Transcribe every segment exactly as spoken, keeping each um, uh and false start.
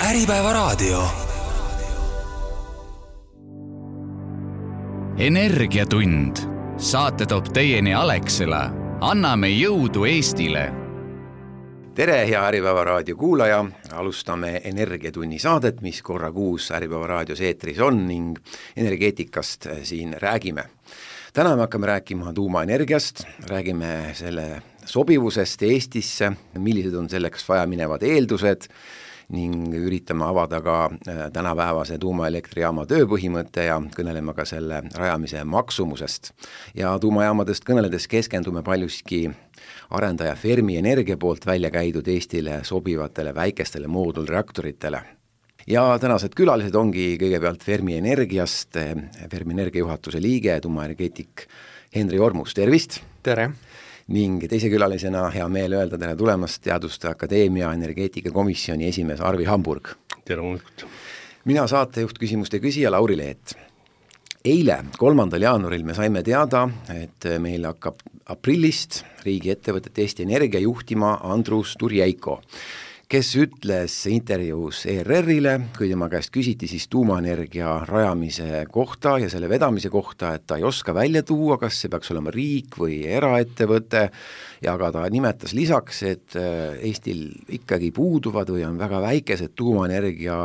Äripäevaraadio. Energiatund. Saate toob teieni Alexela. Anname jõudu Eestile. Tere, hea Äripäevaraadio kuulaja. Alustame Energiatunni saadet, mis korra kuus Äripäevaraadios eetris on ning energeetikast siin räägime. Täna me hakkame rääkima tuumaenergiast, räägime selle sobivusest Eestisse, millised on selleks vaja minevad eeldused ning üritame avada ka tänapäevase tuumaelektrijaama tööpõhimõtte ja kõneleme ka selle rajamise maksumusest. Ja tuumajaamadest kõneledes keskendume paljuski arendaja Fermi Energia poolt välja käidud Eestile sobivatele väikestele moodulreaktoritele. Ja tänased külalised ongi kõigepealt Fermi Energiast, Fermi Energia juhatuse liige, tuumaenergeetik Henri Ormus, tervist! Tere! Ning teise külalisena hea meel öelda tere tulemast Teaduste Akadeemia energeetikakomisjoni esimees Arvi Hamburg. Tere hommikut! Mina saatejuht küsimuste küsija Lauri Leet. Eile, kolmandal jaanuaril me saime teada, et meil hakkab aprillist riigi ettevõtet Eesti Energia juhtima Andrus Turjeiko, kes ütles intervjuus E R R-ile, kui tema käest küsiti siis tuumaenergia rajamise kohta ja selle vedamise kohta, et ta ei oska välja tuua, kas see peaks olema riik või eraettevõte, ja aga ta nimetas lisaks, et Eestil ikkagi puuduvad või on väga väikesed tuumaenergia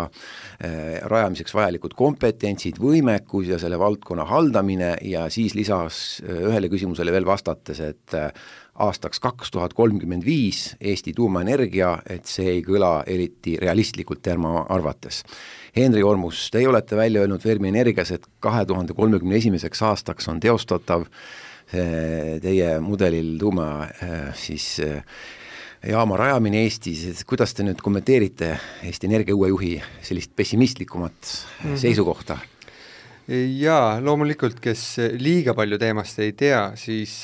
rajamiseks vajalikud kompetentsid, võimekus ja selle valdkonna haldamine, ja siis lisas ühele küsimusele veel vastates, et aastaks kaks tuhat kolmkümmend viis Eesti tuumaenergia, et see ei kõla eriti realistlikult tema arvates. Henri Ormus, teie olete välja öelnud Fermi Energias, et kahe tuhande kolmekümne esimeseks aastaks on teostatav teie mudelil tuuma siis jaama rajamine Eestis. Et kuidas te nüüd kommenteerite Eesti Energia uue juhi sellist pessimistlikumat mm-hmm. seisukohta? Jaa, loomulikult, kes liiga palju teemast ei tea, siis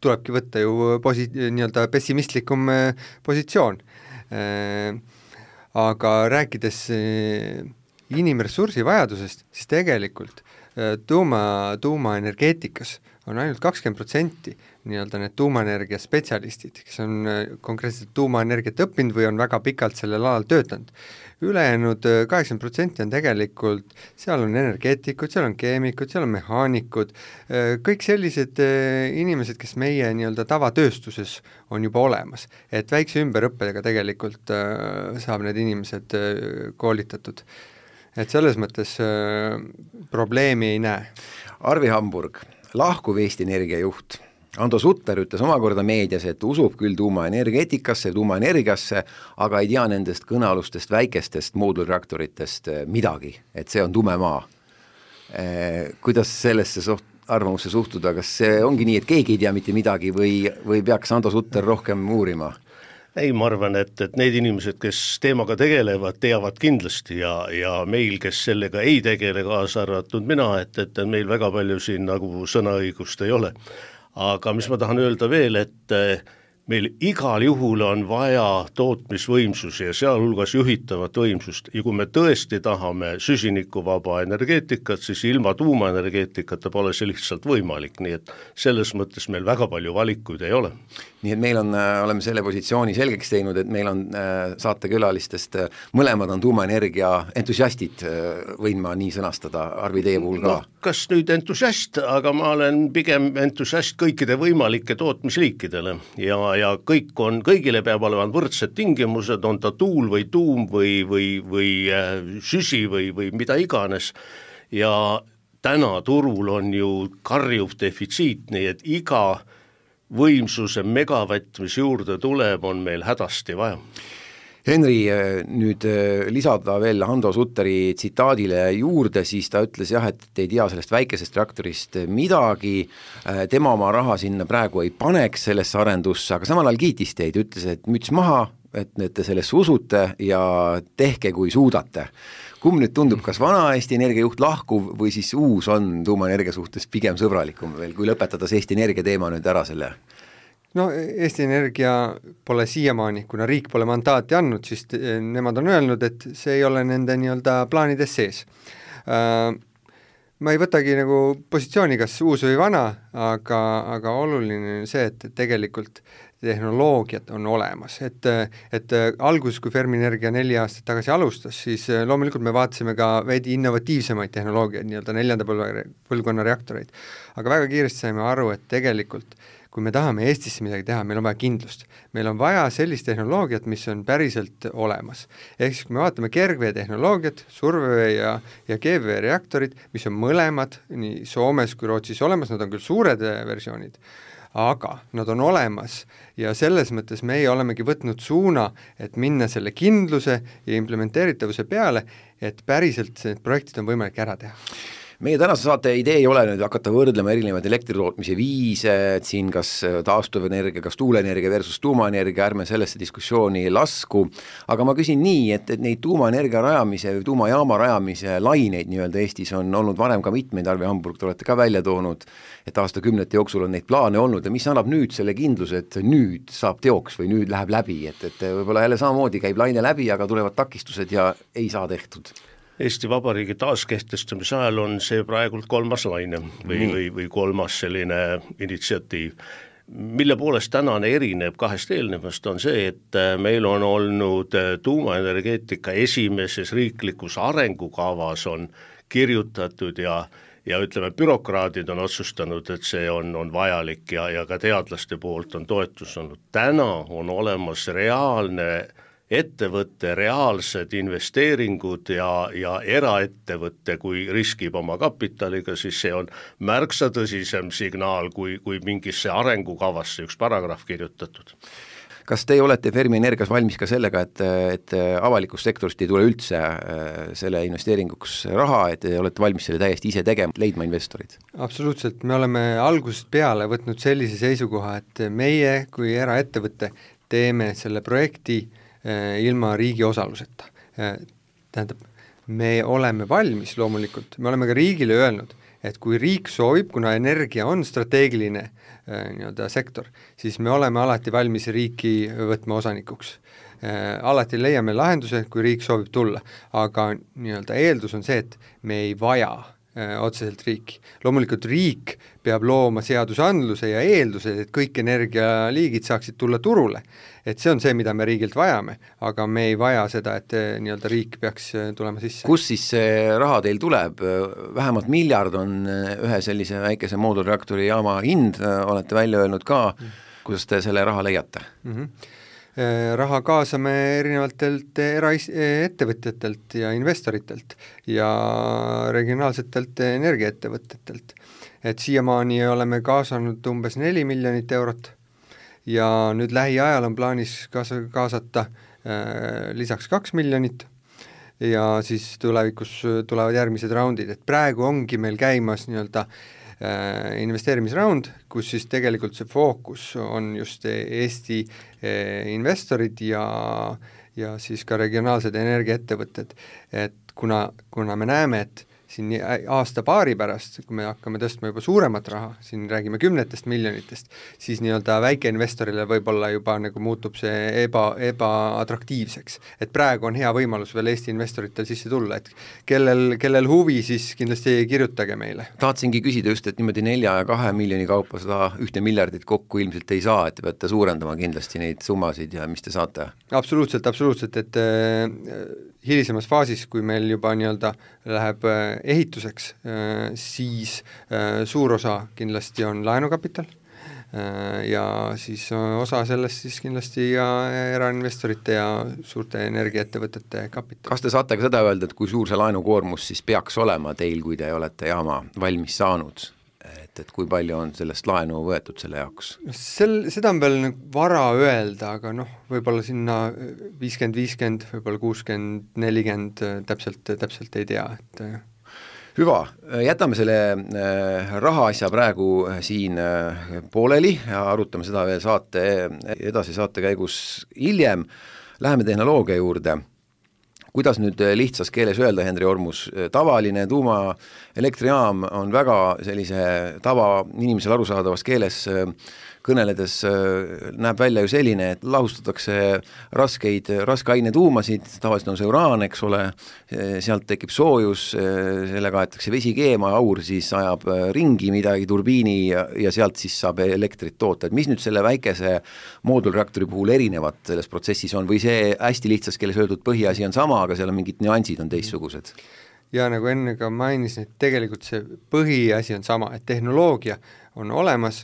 tulebki võtta ju posi- nii-öelda pessimistlikum positsioon. Aga rääkides inimressursi vajadusest, siis tegelikult tuuma, tuumaenergeetikas on ainult kakskümmend protsenti nii-öelda need tuumaenergia spetsialistid, kes on konkreetselt tuumaenergiat õppinud või on väga pikalt sellel alal töötanud. Ülejäänud kaheksakümmend protsenti on tegelikult, seal on energeetikud, seal on keemikud, seal on mehaanikud, kõik sellised inimesed, kes meie nii-öelda tavatööstuses on juba olemas. Et väikse ümberõppedega tegelikult saab need inimesed koolitatud. Et selles mõttes probleemi ei näe. Arvi Hamburg, lahkuv Eesti Energia juht Ando Sutter ütles omakorda meedias, et usub küll tuumaenergeetikasse, tuumaenergiasse, aga ei tea nendest kõnealustest väikestest moodulreaktoritest midagi, et see on tume maa. Kuidas sellesse suht, arvamusse suhtuda, kas see ongi nii, et keegi ei tea mitte midagi või, või peaks Ando Sutter rohkem uurima? Ei, ma arvan, et, et need inimesed, kes teemaga tegelevad, teavad kindlasti ja, ja meil, kes sellega ei tegele, kaasa arvatud mina, et, et meil väga palju siin nagu sõnaõigust ei ole. Aga mis ma tahan öelda veel, et meil igal juhul on vaja tootmisvõimsusi ja sealhulgas juhitavat võimsust. Ja kui me tõesti tahame süsinikuvaba energeetikat, siis ilma tuumaenergeetikata pole see lihtsalt võimalik. Nii et selles mõttes meil väga palju valikuid ei ole. Nii et meil on, oleme selle positsiooni selgeks teinud, et meil on saatekülalistest, mõlemad on tuumaenergia entusiastid, võin ma nii sõnastada, Arvi, teie puhul ka? No, kas nüüd entusiast, aga ma olen pigem entusiast kõikide võimalike tootmisliikidele ja, ja kõik on, kõigile peab olema võrdsed tingimused, on ta tuul või tuum või, või, või süsi või, või mida iganes ja täna turul on ju karjuv defitsiit, nii et iga võimsuse megavatt, mis juurde tuleb, on meil hädasti vaja. Henri, nüüd lisada veel Ando Sutteri tsitaadile juurde, siis ta ütles jah, et ei tea sellest väikesest reaktorist midagi, tema oma raha sinna praegu ei paneks sellesse arendusse, aga samal ajal kiitis teid, ütles, et müts maha, et te sellesse usute ja tehke kui suudate. Kumb nüüd tundub, kas vana Eesti Energia juht lahkuv või siis uus on tuumaenergia suhtes pigem sõbralikum veel, kui lõpetada see Eesti Energia teema nüüd ära selle? No Eesti Energia pole siiamaani, kuna riik pole mandaati andnud, siis nemad on öelnud, et see ei ole nende nii-öelda plaanides sees. Ma ei võtagi nagu positsiooni, kas uus või vana, aga, aga oluline on see, et tegelikult tehnoloogiad on olemas, et, et alguses, kui Fermi Energia neli aastat tagasi alustas, siis loomulikult me vaatasime ka veidi innovatiivsemaid tehnoloogiaid, nii-öelda neljanda põlvkonna reaktoreid, aga väga kiiresti saime aru, et tegelikult kui me tahame Eestisse midagi teha, meil on vaja kindlust. Meil on vaja sellist tehnoloogiat, mis on päriselt olemas. Ehk siis, kui me vaatame kergvee tehnoloogiat, survevee ja, ja keevvee reaktorid, mis on mõlemad nii Soomes kui Rootsis olemas, nad on küll suured versioonid, aga nad on olemas ja selles mõttes meie olemegi võtnud suuna, et minna selle kindluse ja implementeeritavuse peale, et päriselt need projektid on võimalik ära teha. Meie tänase saate idee ei ole nüüd hakata võrdlema erinevaid elektritootmise viise, et siin kas taastuvenergia, kas tuuleenergia versus tuumaenergia, ärme sellesse diskussiooni lasku, aga ma küsin nii, et, et neid tuumaenergia rajamise või tuumajaama rajamise laineid nii-öelda Eestis on olnud varem ka mitmeid, Arvi Hamburg, te olete ka välja toonud, et aastakümnete jooksul on neid plaane olnud ja mis annab nüüd selle kindluse, et nüüd saab teoks või nüüd läheb läbi, et, et võib-olla jälle samamoodi käib laine läbi, aga tulevad takistused ja ei saa tehtud. Eesti Vabariigi taaskehtestamise ajal on see praegult kolmas laine või, või, või kolmas selline initsiatiiv. Mille poolest tänane erineb kahest eelnevast on see, et meil on olnud tuumaenergeetika esimeses riiklikus arengukavas on kirjutatud ja, ja ütleme, bürokraadid on otsustanud, et see on, on vajalik ja, ja ka teadlaste poolt on toetus olnud. Täna on olemas reaalne ettevõtte reaalsed investeeringud ja, ja eraettevõtte, kui riskib oma kapitaliga, siis see on märksa tõsisem signaal, kui, kui mingisse arengukavasse üks paragrahv kirjutatud. Kas te olete Fermi Energias valmis ka sellega, et, et avalikust sektorist ei tule üldse selle investeeringuks raha, et te olete valmis selle täiesti ise tegema, leidma investorid? Absoluutselt, me oleme algusest peale võtnud sellise seisukoha, et meie kui eraettevõtte teeme selle projekti ilma riigi osaluseta. Tähendab, me oleme valmis loomulikult, me oleme ka riigile öelnud, et kui riik soovib, kuna energia on strateegiline nii-öelda sektor, siis me oleme alati valmis riiki võtma osanikuks. Alati leiame lahenduse, kui riik soovib tulla, aga nii-öelda eeldus on see, et me ei vaja otseselt riiki. Loomulikult riik peab looma seadusandluse ja eeldused, et kõik energialiigid saaksid tulla turule. Et see on see, mida me riigilt vajame, aga me ei vaja seda, et nii-öelda riik peaks tulema sisse. Kus siis see raha teil tuleb? Vähemalt miljard on ühe sellise väikese moodulreaktori jaama hind, olete välja öelnud ka, kuidas te selle raha leiate? Mm-hmm. Raha kaasame erinevatelt eraettevõtjatelt ja investoritelt ja regionaalsetelt energiaettevõtjatelt. Et siiamaani oleme kaasanud umbes neli miljonit eurot ja nüüd lähiajal on plaanis kaasa, kaasata äh, lisaks kaks miljonit ja siis tulevikus tulevad järgmised raundid, et praegu ongi meil käimas nii-öelda investeerimisraund, kus siis tegelikult see fookus on just Eesti investorid ja, ja siis ka regionaalsed energiaettevõtted, et kuna, kuna me näeme, et siin aasta paari pärast, kui me hakkame tõstma juba suuremat raha, siin räägime kümnetest miljonitest, siis nii-öelda väikeinvestorile võib-olla juba nagu muutub see eba, ebaatraktiivseks. Et praegu on hea võimalus veel Eesti investoritel sisse tulla, et kellel, kellel huvi, siis kindlasti kirjutage meile. Tahtsingi küsida just, et niimoodi nelja ja kahe miljoni kaupa seda ühte miljardit kokku ilmselt ei saa, et peate suurendama kindlasti neid summasid ja mis te saate? Absoluutselt, absoluutselt, et äh, hilisemas faasis, kui meil juba nii-öelda läheb ehituseks, siis suur osa kindlasti on laenukapital ja siis osa sellest siis kindlasti ja erainvestorite ja suurte energiaettevõtete kapital. Kas te saate ka seda öelda, et kui suur see laenukoormus siis peaks olema teil, kui te olete jaama valmis saanud? Et, et kui palju on sellest laenu võetud selle jaoks? Sel, seda on veel vara öelda, aga noh, võib-olla sinna viiskümmend viiskümmend, võib-olla kuuskümmend nelikümmend täpselt, täpselt ei tea. Et... Hüva, jätame selle raha asja praegu siin pooleli ja arutame seda veel saate, edasi saate käigus hiljem. Läheme tehnoloogia juurde. kuidas nüüd lihtsas keeles öelda, Henri Ormus, tavaline tuumaelektrijaam on väga sellise tava inimesel arusaadavas keeles kõneledes näeb välja ju selline, et lahustatakse raskeid, raskaine tuumasid, tavaliselt on see uraan, eks ole, sealt tekib soojus, sellega aetakse vesi keema, aur siis ajab ringi midagi turbiini ja, ja sealt siis saab elektrit toota. Et mis nüüd selle väikese moodulreaktori puhul erinevat selles protsessis on või see hästi lihtsas keeles öeldud põhiasi on sama, aga seal on mingid nüansid on teistsugused? Ja nagu enne ka mainisin, et tegelikult see põhiasi on sama, et tehnoloogia on olemas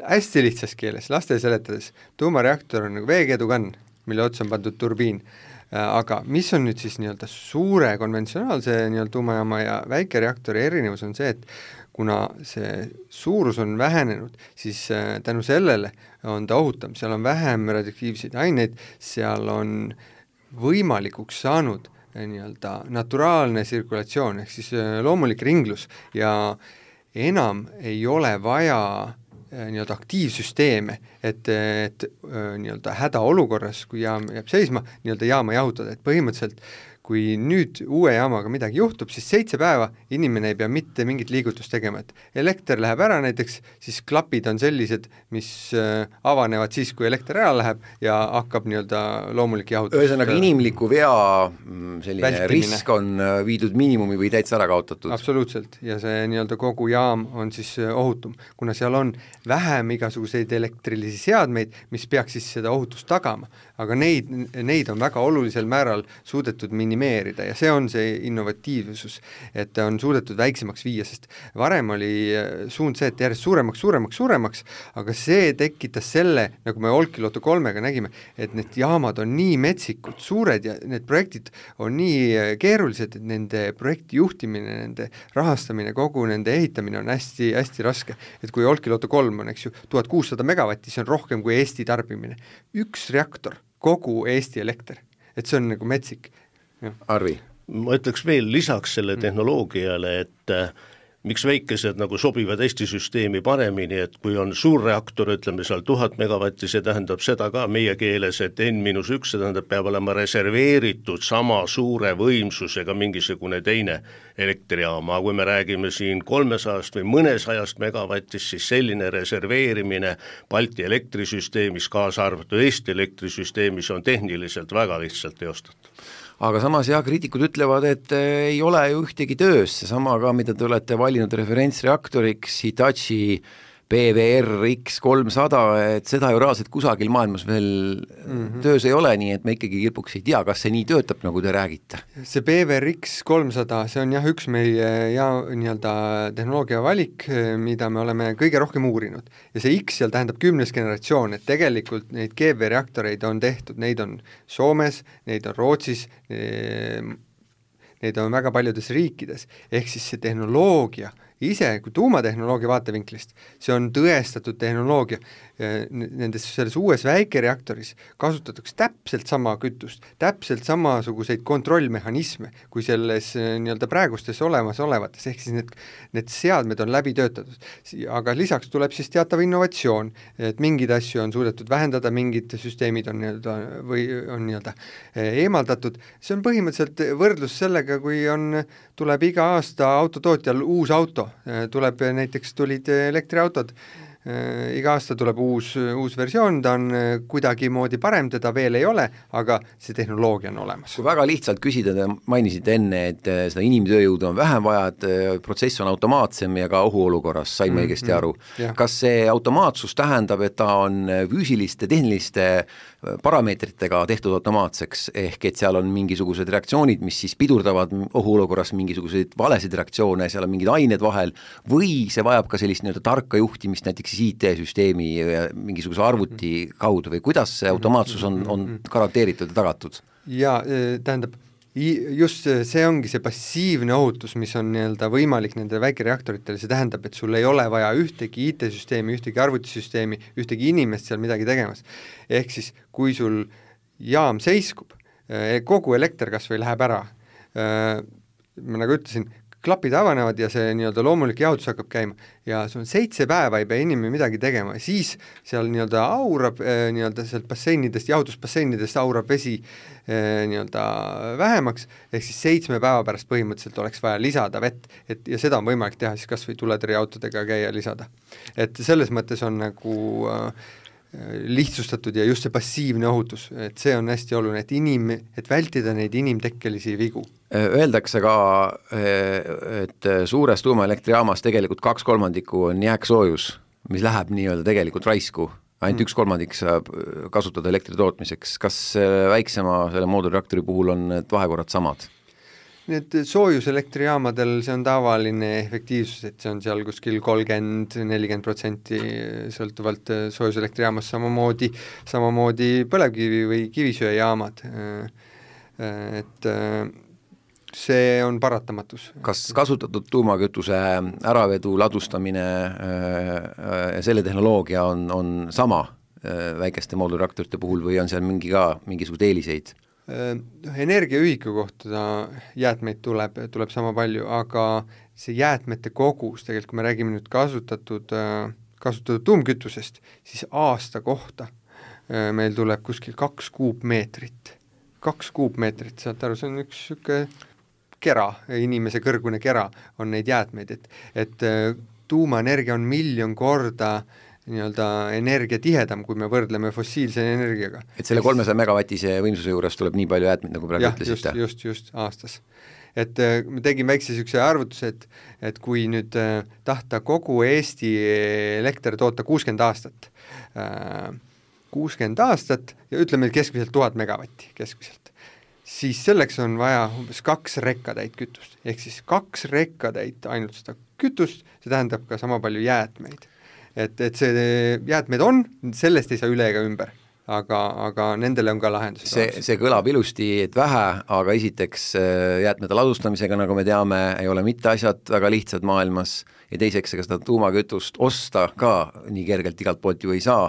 hästi lihtsas keeles, laste seletades, tuumareaktor on nagu veekeedukann, mille otsa on pandud turbiin, aga mis on nüüd siis nii-öelda suure konventsionaalse nii-öelda tuumajaama ja väikereaktori erinevus on see, et kuna see suurus on vähenenud, siis tänu sellele on ta ohutam, seal on vähem radioaktiivseid aineid, seal on võimalikuks saanud nii-öelda naturaalne tsirkulatsioon, ehk siis loomulik ringlus ja enam ei ole vaja nii-öelda aktiivsüsteeme, et, et nii-öelda hädaolukorras, kui jaam jääb seisma, nii-öelda jaama jahutada, et põhimõtteliselt kui nüüd uue jaamaga midagi juhtub, siis seitse päeva inimene ei pea mitte mingit liigutust tegema, et elekter läheb ära näiteks, siis klapid on sellised, mis avanevad siis, kui elekter ära läheb ja hakkab nii-öelda loomulik jahutus. Ühesõnaga inimliku vea selline vältimine. Risk on viidud miinimumi või täitsa ära kaotatud. Absoluutselt, ja see nii-öelda kogu jaam on siis ohutum, kuna seal on vähem igasuguseid elektrilisi seadmeid, mis peaks siis seda ohutust tagama, aga neid, neid on väga olulisel määral suudetud minimeerida ja see on see innovatiivsus, et on suudetud väiksemaks viia, sest varem oli suund see, et järjest suuremaks, suuremaks, suuremaks, aga see tekitas selle, nagu me Olkiluoto kolmega nägime, et need jaamad on nii metsikud, suured ja need projektid on nii keerulised, et nende projekti juhtimine, nende rahastamine, kogu nende ehitamine on hästi, hästi raske. Et kui Olkiluoto kolm on, eks ju, tuhat kuussada megavatti, see on rohkem kui Eesti tarbimine. Üks reaktor, kogu Eesti elekter, et see on nagu metsik. Arvi? Ma ütleks veel lisaks selle tehnoloogiale, et äh, miks väikesed nagu sobivad Eesti süsteemi paremini, et kui on suur reaktor, ütleme seal tuhat megavatti, see tähendab seda ka meie keeles, et N miinus üks, see tähendab, peab olema reserveeritud sama suure võimsusega mingisugune teine elektrijaama, kui me räägime siin kolmesajast või mõnesajast megavatist, siis selline reserveerimine Balti elektrisüsteemis, kaasa arvatud Eesti elektrisüsteemis on tehniliselt väga lihtsalt teostatud. Aga samas jah, kriitikud ütlevad, et ei ole ju ühtegi töös, seesama ka, mida te olete valinud referentsreaktoriks, Hitachi P V R X kolmsada, et seda ju reaalselt kusagil maailmas veel mm-hmm. töös ei ole, nii et me ikkagi kirpuks ei tea, kas see nii töötab, nagu te räägite. See P V R X kolmsada, see on jah üks meie ja, nii-öelda tehnoloogia valik, mida me oleme kõige rohkem uurinud. Ja see X seal tähendab kümnes generatsioon, et tegelikult neid G V reaktoreid on tehtud, neid on Soomes, neid on Rootsis, neid on väga paljudes riikides, ehk siis see tehnoloogia ise, kui tuumatehnoloogia vaatevinklist, see on tõestatud tehnoloogia. Nendes selles uues väikereaktoris kasutatakse täpselt sama kütust, täpselt samasuguseid kontrollmehhanisme, kui selles nii-öelda praegustes olemas olevates, ehk siis need, need seadmed on läbi töötatud. Aga lisaks tuleb siis teatav innovatsioon, et mingid asju on suudetud vähendada, mingid süsteemid on nii-öelda, või on nii-öelda eemaldatud. See on põhimõtteliselt võrdlus sellega, kui on, tuleb iga aasta autotootjal uus auto, tuleb näiteks tulid elektriautod, iga aasta tuleb uus, uus versioon, ta on kuidagi moodi parem, teda veel ei ole, aga see tehnoloogia on olemas. Kui väga lihtsalt küsida, te mainisite enne, et seda inimtööjõudu on vähem vaja, et protsess on automaatsem ja ka ohuolukorras, sain ma õigesti aru. Mm-hmm. Kas see automaatsus tähendab, et ta on füüsiliste, tehniliste parameetritega tehtud automaatseks, ehk et seal on mingisugused reaktsioonid, mis siis pidurdavad ohuolukorras mingisuguseid valesid reaktsioone, seal on mingid ained vahel, või see vajab ka sellist nii-öelda tarka juhtimist näiteks I T-süsteemi ja mingisuguse arvuti kaudu või kuidas see automaatsus on, on garanteeritud ja tagatud? Ja tähendab, just see ongi see passiivne ohutus, mis on nii-öelda võimalik nendele väikereaktoritele, see tähendab, et sul ei ole vaja ühtegi I T-süsteemi, ühtegi arvutisüsteemi, ühtegi inimest seal midagi tegemas. Ehk siis, kui sul jaam seiskub, kogu elekter kas või läheb ära, ma nagu ütlesin, klapid avanevad ja see nii-öelda loomulik jahutus hakkab käima ja sul on seitse päeva ei pea inimene midagi tegema, siis seal nii-öelda aurab äh, nii-öelda sealt basseinidest, jahutusbasseinidest aurab vesi äh, nii-öelda vähemaks, ehk siis seitsme päeva pärast põhimõtteliselt oleks vaja lisada vett, et ja seda on võimalik teha siis kas või tuletõrjeautodega käia lisada. Et selles mõttes on nagu äh, lihtsustatud ja just see passiivne ohutus, et see on hästi oluline, et inim, et vältida neid inimtekkelisi vigu. Öeldakse ka, et suures tuumaelektrijaamas tegelikult kaks kolmandikku on jääksoojus, mis läheb nii-öelda tegelikult raisku. Ainult mm. üks kolmandik saab kasutada elektri tootmiseks. Kas väiksema selle moodulreaktori puhul on need vahekorrad samad? Need soojuselektrijamadel see on tavaline efektiivsus, et see on seal kuskil kolmkümmend nelikümmend protsenti sõltuvalt soojuselektrijaamast, samamoodi, samamoodi põlevkivi või kivisöejaamad. Et see on paratamatus. Kas kasutatud tuumakütuse äravedu, ladustamine ja selle tehnoloogia on, on sama väikeste moodulreaktorite puhul või on seal mingi ka mingisugused eeliseid? Energiaühiku kohta jäätmeid tuleb, tuleb sama palju, aga see jäätmete kogus, tegelikult kui me räägime nüüd kasutatud, kasutatud tuumkütusest, siis aasta kohta meil tuleb kuskil kaks kuupmeetrit. Kaks kuupmeetrit, saad aru, see on üks süke kera, inimese kõrgune kera on neid jäätmeid, et, et tuumaenergia on miljon korda nii-öelda energia tihedam, kui me võrdleme fossiilse energiaga. Et selle kolmesaja megavatise võimsuse juures tuleb nii palju jäätmeid, nagu praegu ütlesite? Just, just, just aastas. Et me tegime väikse sükse arvutuse, et, et kui nüüd tahta kogu Eesti elekter toota kuuskümmend aastat, kuuskümmend aastat ja ütleme keskmiselt tuhat megavatti keskmiselt, siis selleks on vaja umbes kaks rekkatäit kütust. Ehk siis kaks rekkatäit ainult seda kütust, see tähendab ka sama palju jäätmeid. Et, et see jäätmeid on, sellest ei saa üle ega ümber, aga, aga nendele on ka lahendus. See, see kõlab ilusti, et vähe, aga esiteks jäätmete ladustamisega, nagu me teame, ei ole mitte asjad väga lihtsad maailmas ja teiseks, ega seda tuumakütust osta ka nii kergelt igalt poolt ju ei saa,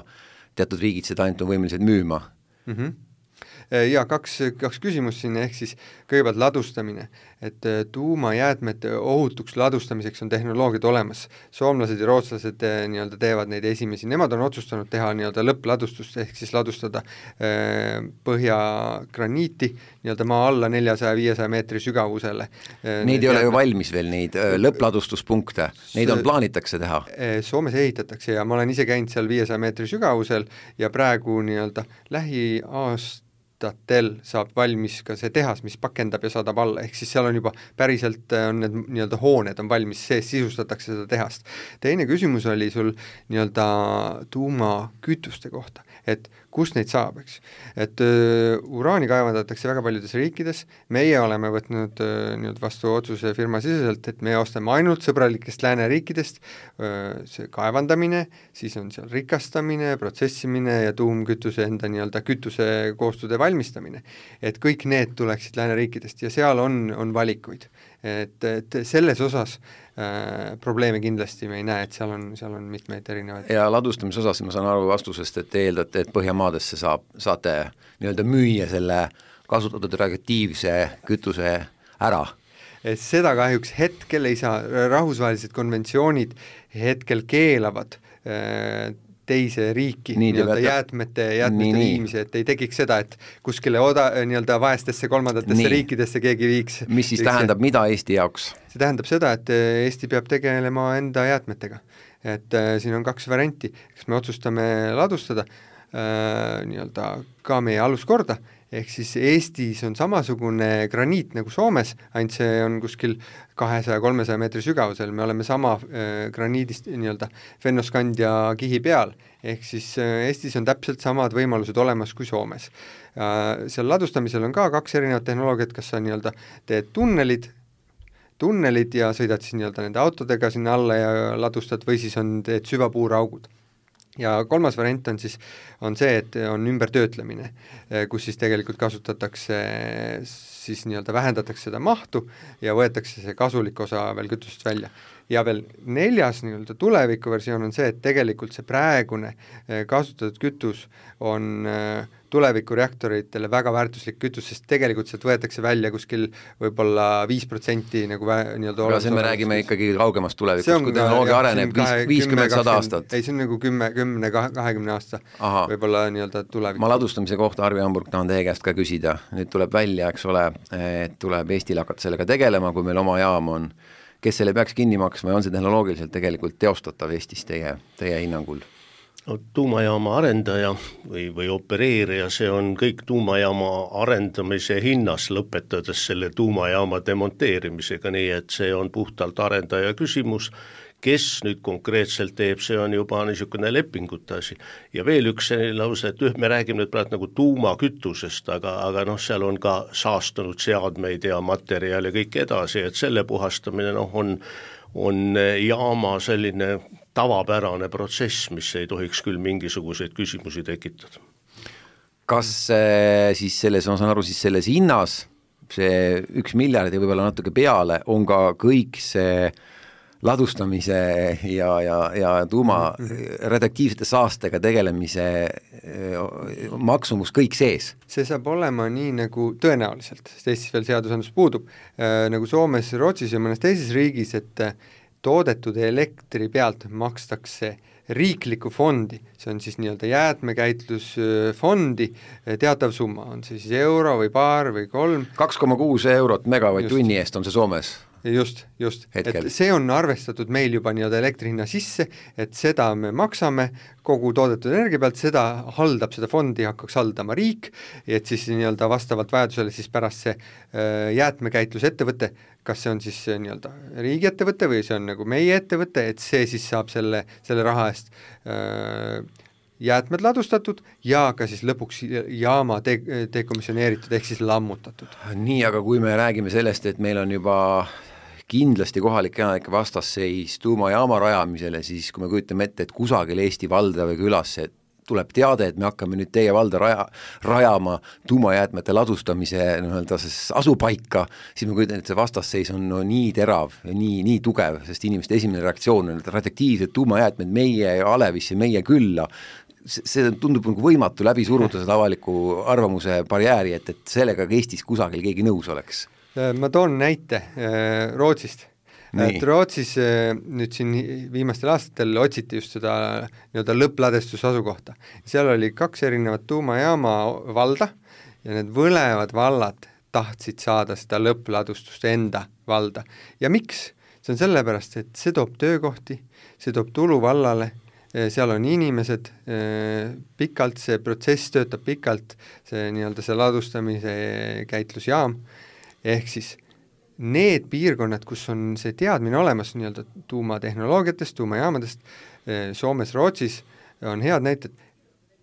teatud riigid seda ainult on võimelised müüma. Mhm. Ja kaks, kaks küsimust siin, ehk siis kõigepealt ladustamine, et tuumajäätmete ohutuks ladustamiseks on tehnoloogiad olemas. Soomlased ja rootslased nii-öelda teevad neid esimesi, nemad on otsustanud teha nii-öelda lõppladustust, ehk siis ladustada eh, põhjagraniiti nii-öelda maa alla neljasaja viiesaja meetri sügavusele. Neid ei ole ju valmis veel, neid lõppladustuspunkte, neid on plaanitakse teha. Soomes ehitatakse ja ma olen ise käinud seal viiesaja meetri sügavusel ja praegu nii-öelda lähiaast tatel saab valmis ka see tehas, mis pakendab ja saadab alla, ehk siis seal on juba päriselt on need nii-öelda hooned on valmis, sees sisustatakse seda tehast. Teine küsimus oli sul nii-öelda tuumakütuste kohta, et kust neid saab, eks. Et uh, uraani kaevandatakse väga paljudes riikides, meie oleme võtnud uh, nii-öelda vastu otsuse firma siseselt, et me ostame ainult sõbralikest lääneriikidest, uh, see kaevandamine, siis on seal rikastamine, protsessimine ja tuumkütuse enda nii-öelda kütuse koostude valmistamine, et kõik need tuleksid lääneriikidest ja seal on, on valikuid, et, et selles osas äh, probleeme kindlasti me ei näe, et seal on, seal on mitmeid erinevaid. Ja ladustamise osas ma saan aru vastusest, et te eeldate, et Põhjamaadesse saab, saate nii-öelda müüa selle kasutatud reaktiivse kütuse ära. Seda kahjuks hetkel ei saa, rahvusvahelised konventsioonid hetkel keelavad äh, teise riiki nii, nii-öelda jäätmete, jäätmete nii, viimise, et ei tekiks seda, et kuskile oda, nii-öelda vaestesse kolmandatesse nii. riikidesse keegi viiks. Mis siis viiks, tähendab, mida Eesti jaoks? See tähendab seda, et Eesti peab tegelema enda jäätmetega. Et äh, siin on kaks varianti, kas me otsustame ladustada äh, nii-öelda ka meie aluskorda, ehk siis Eestis on samasugune graniit nagu Soomes, ainult see on kuskil kahesaja kolmesaja meetri sügavusel, me oleme sama äh, graniidist nii-öelda fennoskandia kihi peal, ehk siis äh, Eestis on täpselt samad võimalused olemas kui Soomes. Äh, seal ladustamisel on ka kaks erinevat tehnoloogiat, kas sa nii-öelda teed tunnelid, tunnelid ja sõidad siis nii-öelda nende autodega sinna alla ja ladustad või siis on teed süvapuuraugud. Ja kolmas variant on siis on see, et on ümbertöötlemine, kus siis tegelikult kasutatakse, siis nii-öelda vähendatakse seda mahtu ja võetakse see kasulik osa veel kütust välja. Ja veel neljas nii-öelda tulevikuversioon on see, et tegelikult see praegune kasutatud kütus on tulevikureaktoritele väga väärtuslik kütus, sest tegelikult sealt võetakse välja kuskil võib-olla viis protsenti nagu vä, nii-öelda aga see me räägime ikkagi kaugemast tulevikust, kui tehnoloogia areneb viiskümmend sada aastat. Ei, see on nagu kümme, kümne, kahekümne aasta Aha. võib-olla nii-öelda tulevik. Ma ladustamise kohta, Arvi Hamburg, tahan teie käest ka küsida. Nüüd tuleb välja, eks ole, et tuleb Eestil hakata sellega tegelema, kui meil oma jaam on. Kes selle peaks kinni maksma ja on see tehnoloogiliselt tegelikult teostatav Eestis teie, teie hinnangul? No, tuumajaama arendaja või, või opereerija, see on kõik tuumajaama arendamise hinnas, lõpetades selle tuumajaama demonteerimisega, nii et see on puhtalt arendaja küsimus. Kes nüüd konkreetselt teeb, see on juba niisugune lepingute asi. Ja veel üks lause, et me räägime nüüd praegu nagu tuumakütusest, aga, aga noh, seal on ka saastunud seadmeid ja materjal ja kõik edasi, et selle puhastamine noh, on, on jaama selline tavapärane protsess, mis ei tohiks küll mingisuguseid küsimusi tekitada. Kas siis selles, ma saan aru, siis selles hinnas, see üks miljard ja võib-olla natuke peale, on ka kõik see ladustamise ja, ja, ja tuuma radioaktiivsete saastega tegelemise maksumus kõik sees? See saab olema nii nagu tõenäoliselt, sest Eestis veel seadusandlus puudub, nagu Soomes, Rootsis ja mõnes teises riigis, et toodetud elektri pealt makstakse riiklikku fondi, see on siis nii-öelda jäätmekäitlusfondi teatav summa, on see siis euro või paar või kolm. kaks koma kuus eurot megavatt-tunni eest on see Soomes? Just, just, Hetkel. et see on arvestatud meil juba nii-öelda elektrihinna sisse, et seda me maksame kogu toodetud energia pealt, seda haldab, seda fondi hakkaks haldama riik, et siis nii-öelda vastavalt vajadusele siis pärast see äh, jäätmekäitlusettevõte, kas see on siis nii-öelda riigiettevõte või see on nagu meie ettevõte, et see siis saab selle, selle raha eest äh, jäätmed ladustatud ja ka siis lõpuks jaama de- dekomisjoneeritud ehk siis lammutatud. Nii, aga kui me räägime sellest, et meil on juba kindlasti kohalike elanike vastasseis tuumajaama rajamisele, siis kui me kujutame ette, et kusagil Eesti valda või külasse tuleb teade, et me hakkame nüüd teie valda raja, rajama tuumajäätmete ladustamise nii-öelda asupaika, siis me kujutan, et see vastasseis on no, nii terav ja nii, nii tugev, sest inimeste esimene reaktsioon on, et radioaktiivsed tuumajäätmed meie Alevisse, meie külla, see tundub nagu võimatu läbi suruda seda avaliku arvamuse barjääri, et, et sellega Eestis kusagil keegi nõus oleks. Ma toon näite Rootsist. Et Rootsis nüüd siin viimastel aastatel otsiti just seda nii-öelda lõppladestuse asukohta. Seal oli kaks erinevat tuumajaama valda ja need võlevad vallad tahtsid saada seda lõppladustust enda valda. Ja miks? See on sellepärast, et see toob töökohti, see toob tulu vallale, seal on inimesed pikalt, see protsess töötab pikalt, see nii-öelda see ladustamise käitlusjaam, ehk siis need piirkonnad, kus on see teadmine olemas nii-öelda tuumatehnoloogiatest, tuumajaamadest, Soomes, Rootsis on head näited,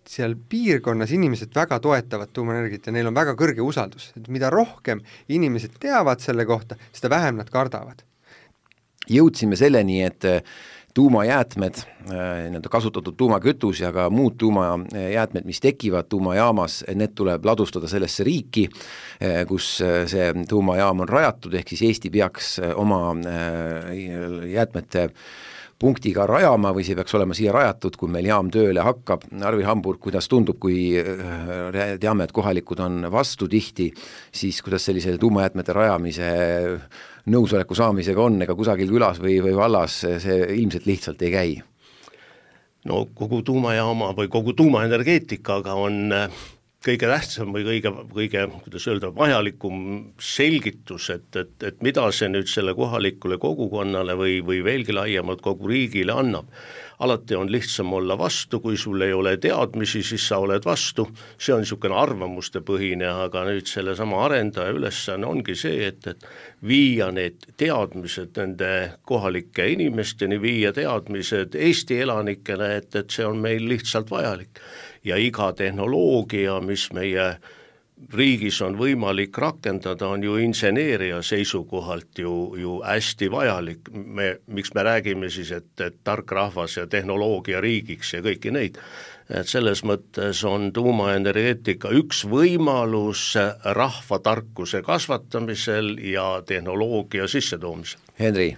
seal piirkonnas inimesed väga toetavad tuumaenergiat ja neil on väga kõrge usaldus, et mida rohkem inimesed teavad selle kohta, seda vähem nad kardavad. Jõudsime selleni, et tuumajäätmed, nii-öelda kasutatud tuumakütus ja ka muud tuumajäätmed, mis tekivad tuumajaamas, need tuleb ladustada sellesse riiki, kus see tuumajaam on rajatud, ehk siis Eesti peaks oma jäätmete punktiga rajama või see peaks olema siia rajatud, kui meil jaam tööle hakkab. Arvi Hamburg, kuidas tundub, kui teame, et kohalikud on vastu tihti, siis kuidas sellise tuumajäätmete rajamise nõusoleku saamisega on, ega kusagil külas või, või vallas see ilmselt lihtsalt ei käi? No kogu tuumajaama või kogu tuumaenergeetikaga on kõige tähtsam või kõige, kõige kuidas öelda, vajalikum selgitus, et, et, et mida see nüüd selle kohalikule kogukonnale või, või veelgi laiemalt kogu riigile annab. Alati on lihtsam olla vastu, kui sul ei ole teadmisi, siis sa oled vastu, see on niisugune arvamuste põhine, aga nüüd selle sama arendaja ülesanne ongi see, et, et viia need teadmised nende kohalike inimesteni, viia teadmised Eesti elanikele, et, et see on meil lihtsalt vajalik. Ja iga tehnoloogia, mis meie riigis on võimalik rakendada, on ju inseneeria seisukohalt ju, ju hästi vajalik. Me, miks me räägime siis, et, et tark rahvas ja tehnoloogia riigiks ja kõiki neid. Et selles mõttes on tuumaenergeetika üks võimalus rahva tarkuse kasvatamisel ja tehnoloogia sissetoomisel. Henri?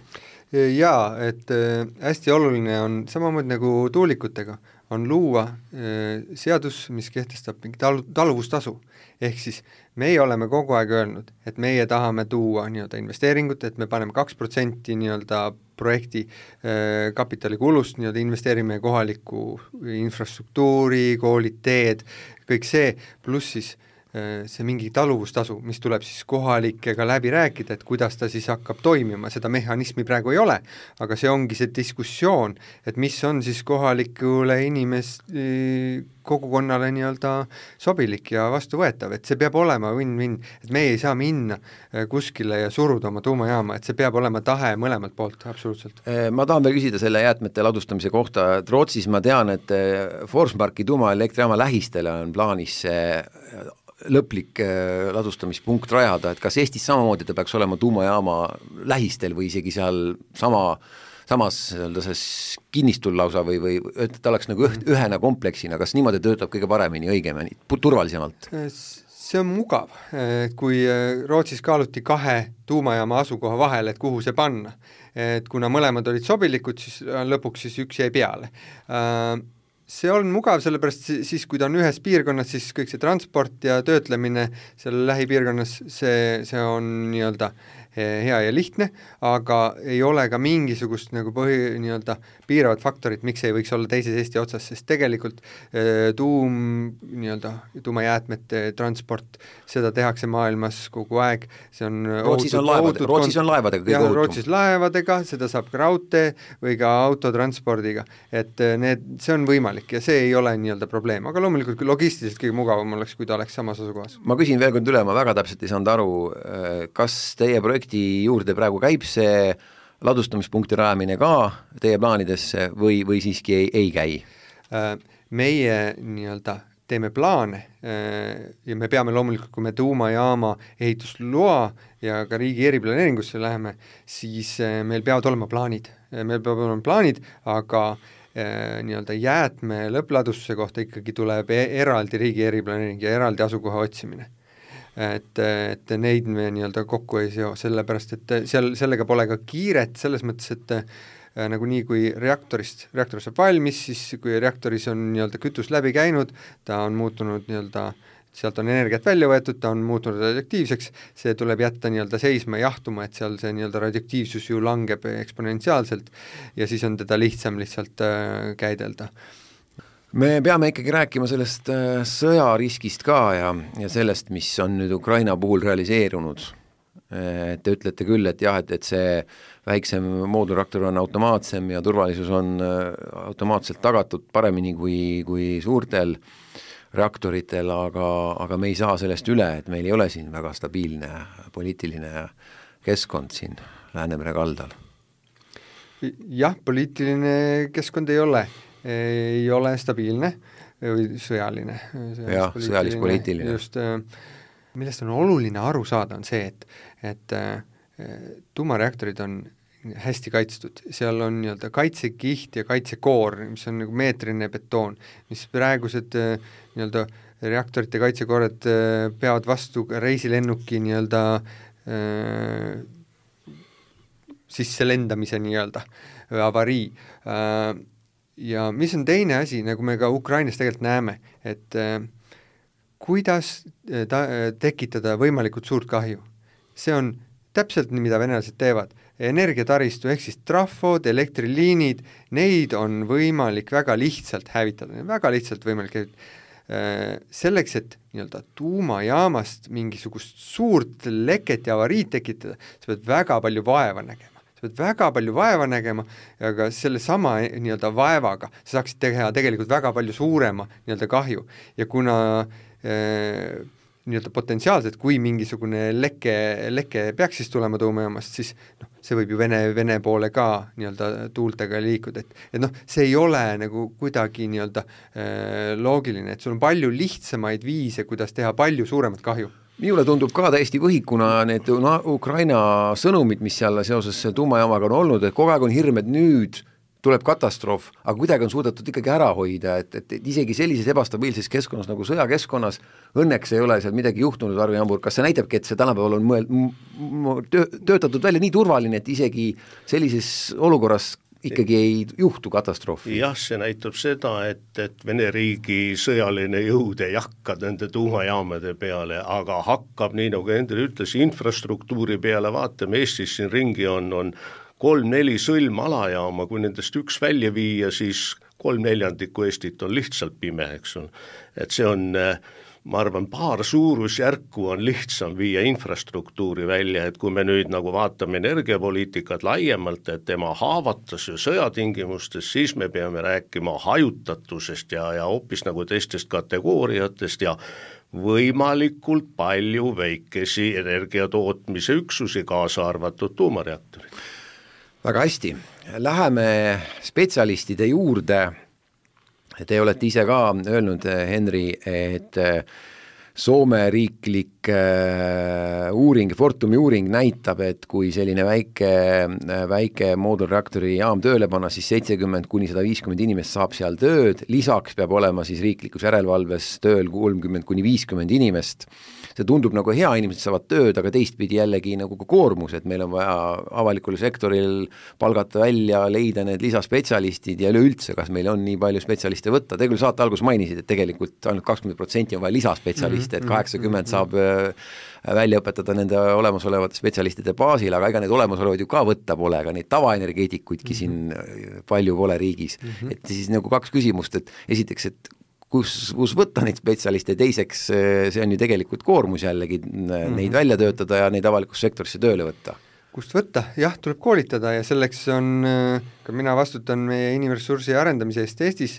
Jaa, et hästi oluline on samamoodi nagu tuulikutega, on luua äh, seadus, mis kehtestab mingi tal-, taluvustasu. Ehk siis meie oleme kogu aeg öelnud, et meie tahame tuua nii-öelda investeeringut, et me paneme kaks protsenti nii-öelda projekti äh, kapitalikulust, nii-öelda investeerime kohalikku infrastruktuuri, koolid, teed, kõik see, pluss siis see mingi taluvustasu, mis tuleb siis kohalikega läbi rääkida, et kuidas ta siis hakkab toimima, seda mehhanismi praegu ei ole, aga see ongi see diskussioon, et mis on siis kohalikule inimest kogukonnale nii-öelda sobilik ja vastuvõetav, et see peab olema win-win, et meie ei saa minna kuskile ja suruda oma tuumajaama, et see peab olema tahe mõlemalt poolt, absoluutselt. Ma tahan veel küsida selle jäätmete ladustamise kohta, et Rootsis ma tean, et Forsmarki tuumaelektrijaama lähistele on plaanis lõplik ladustamispunkt rajada, et kas Eestis samamoodi ta peaks olema tuumajaama lähistel või isegi seal sama, samas kinnistul lausa või, või et ta oleks nagu ühena kompleksina, kas niimoodi töötab kõige paremini, õigemini, turvalisemalt? See on mugav, kui Rootsis kaaluti kahe tuumajaama asukoha vahel, et kuhu see panna, et kuna mõlemad olid sobilikud, siis lõpuks siis üks jäi peale. See on mugav, sellepärast siis, kui ta on ühes piirkonnas, siis kõik see transport ja töötlemine seal lähipiirkonnas, see, see on nii-öelda hea ja lihtne, aga ei ole ka mingisugust nagu põhi, nii-öelda piiravat faktorit, miks ei võiks olla teises Eesti otsas, sest tegelikult tuum, nii-öelda tuumajäätmete transport, seda tehakse maailmas kogu aeg, see on Rootsis on, laevad, Rootsis on laevadega kõige ohutum. Rootsis laevadega, seda saab ka raudtee või ka autotranspordiga, et need, see on võimalik ja see ei ole nii-öelda probleem, aga loomulikult logistiliselt kõige mugavam oleks, kui ta oleks samas asukohas. Ma küsin veel kord üle, ma väga täpselt ei saanud aru, kas teie projekti juurde praegu käib see ladustamispunkti rajamine ka teie plaanidesse või, või siiski ei, ei käi? Meie nii-öelda teeme plaane ja me peame loomulikult, kui me tuumajaama ehitusloa ja ka riigi eriplaneeringusse läheme, siis meil peavad olema plaanid. Meil peavad olema plaanid, aga nii-öelda jäätme lõppladustuse kohta ikkagi tuleb eraldi riigi eriplaneering ja eraldi asukoha otsimine. Et, et neid me nii-öelda kokku ei seo, sellepärast et seal, sellega pole ka kiiret, selles mõttes, et äh, nagu nii kui reaktorist, reaktor saab valmis, siis kui reaktoris on nii-öelda kütus läbi käinud, ta on muutunud nii-öelda, sealt on energiat välja võetud, ta on muutunud radioaktiivseks, see tuleb jätta nii-öelda seisma ja jahtuma, et seal see nii-öelda radioaktiivsus ju langeb eksponentsiaalselt ja siis on teda lihtsam lihtsalt äh, käidelda. Me peame ikkagi rääkima sellest sõjariskist ka ja, ja sellest, mis on nüüd Ukraina puhul realiseerunud. Te ütlete küll, et jah, et, et see väiksem moodulreaktor on automaatsem ja turvalisus on automaatselt tagatud paremini kui, kui suurtel reaktoritel, aga, aga me ei saa sellest üle, et meil ei ole siin väga stabiilne poliitiline keskkond siin Läänemere kaldal. Jah, poliitiline keskkond ei ole. ei ole stabiilne või sõjaline. Jah, sõjalis-poliitiline. Just, millest on oluline aru saada, on see, et, et tuumareaktorid on hästi kaitstud. Seal on nii-öelda kaitsekiht ja kaitsekoor, mis on nagu meetrine betoon, mis praegused nii-öelda reaktorite kaitsekoorad peavad vastu reisilennuki nii-öelda äh, sisse lendamise nii-öelda avarii. Äh, Ja mis on teine asi, nagu me ka Ukrainas tegelikult näeme, et äh, kuidas ta, tekitada võimalikult suurt kahju. See on täpselt nii, mida venelased teevad. Energiataristu ehk siis trafod, elektriliinid, neid on võimalik väga lihtsalt hävitada, väga lihtsalt võimalik hävitada. Äh, selleks, et nii-öelda tuumajaamast mingisugust suurt leket ja avariid tekitada, sa pead väga palju vaeva nägema. sa pead väga palju vaeva nägema, aga selle sama nii-öelda vaevaga sa saaksid teha tegelikult väga palju suurema nii-öelda kahju. Ja kuna äh, nii-öelda potentsiaalselt, kui mingisugune leke, leke peaks siis tulema tuumajaamast, siis noh, see võib ju Vene, Vene poole ka nii-öelda tuultega liikuda, et, et noh, see ei ole nagu kuidagi nii-öelda äh, loogiline, et sul on palju lihtsamaid viise, kuidas teha palju suuremat kahju. Minule tundub ka täiesti võhikuna need Ukraina sõnumid, mis seal seoses tuumajaamaga on olnud, et kogu aeg on hirm, et nüüd tuleb katastroof, aga kuidagi on suudetud ikkagi ära hoida, et, et, et isegi sellises ebastabiilses keskkonnas nagu sõjakeskkonnas õnneks ei ole seal midagi juhtunud, Arvi Hamburg, kas see näitabki, et see tänapäeval on mõel, töötatud välja nii turvaline, et isegi sellises olukorras ikkagi ei juhtu katastroofi? jah, see näitab seda, et, et Vene riigi sõjaline jõud ei hakka nende tuumajaamade peale, aga hakkab, nii nagu Hendri ütles, infrastruktuuri peale, vaatame, Eestis siin ringi on, on kolm-neli sõlmalajaama, kui nendest üks välja viia, siis kolm neljandikku Eestit on lihtsalt pime, eks on. Et see on, ma arvan, paar suurusjärku on lihtsam viia infrastruktuuri välja, et kui me nüüd nagu vaatame energiapoliitikat laiemalt, et tema haavatus ja sõjatingimustes, siis me peame rääkima hajutatusest ja, ja hoopis nagu teistest kategooriatest ja võimalikult palju väikesi energiatootmise üksusi, kaasa arvatud tuumareaktorid. Väga hästi, läheme spetsialistide juurde. Te olete ise ka öelnud, Henri, et Soome riiklik uuring, Fortumi uuring näitab, et kui selline väike, väike moodulreaktori jaam tööle panna, siis seitsekümmend kuni sada viiskümmend inimest saab seal tööd, lisaks peab olema siis riiklikus järelevalves tööl kolmkümmend kuni viiskümmend inimest. See tundub nagu hea, inimesed saavad tööd, aga teistpidi jällegi nagu ka koormus, et meil on vaja avalikul sektoril palgata välja, leida need lisaspetsialistid ja üleüldse, kas meil on nii palju spetsialiste võtta. Te küll saate alguses mainisid, et tegelikult ainult kakskümmend protsenti on vaja lisaspetsialiste, et kaheksakümmend saab välja õpetada nende olemasolevate spetsialistide baasil, aga ega need olemasolevad ju ka võtta pole, aga neid tavaenergeetikuidki siin palju pole riigis. Et siis nagu kaks küsimust, et esiteks, et kus, kus võtta neid spetsialiste, teiseks see on ju tegelikult koormus jällegi mm-hmm. neid välja töötada ja neid avalikus sektorisse tööle võtta. Kust võtta? Jah, tuleb koolitada ja selleks on, ka mina vastutan meie inimressursi arendamise eest Eestis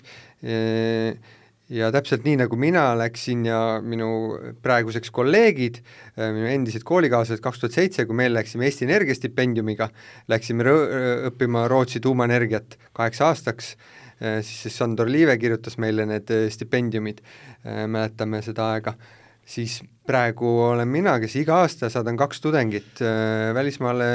ja täpselt nii, nagu mina läksin ja minu praeguseks kolleegid, minu endised koolikaaslased kaks tuhat seitse, kui meil läksime Eesti Energia stipendiumiga, läksime õppima Rootsi tuumaenergiat kaheks aastaks, siis Sandor Liive kirjutas meile need stipendiumid, mäletame seda aega, siis praegu olen mina, kes iga aasta saadan kaks tudengit välismaale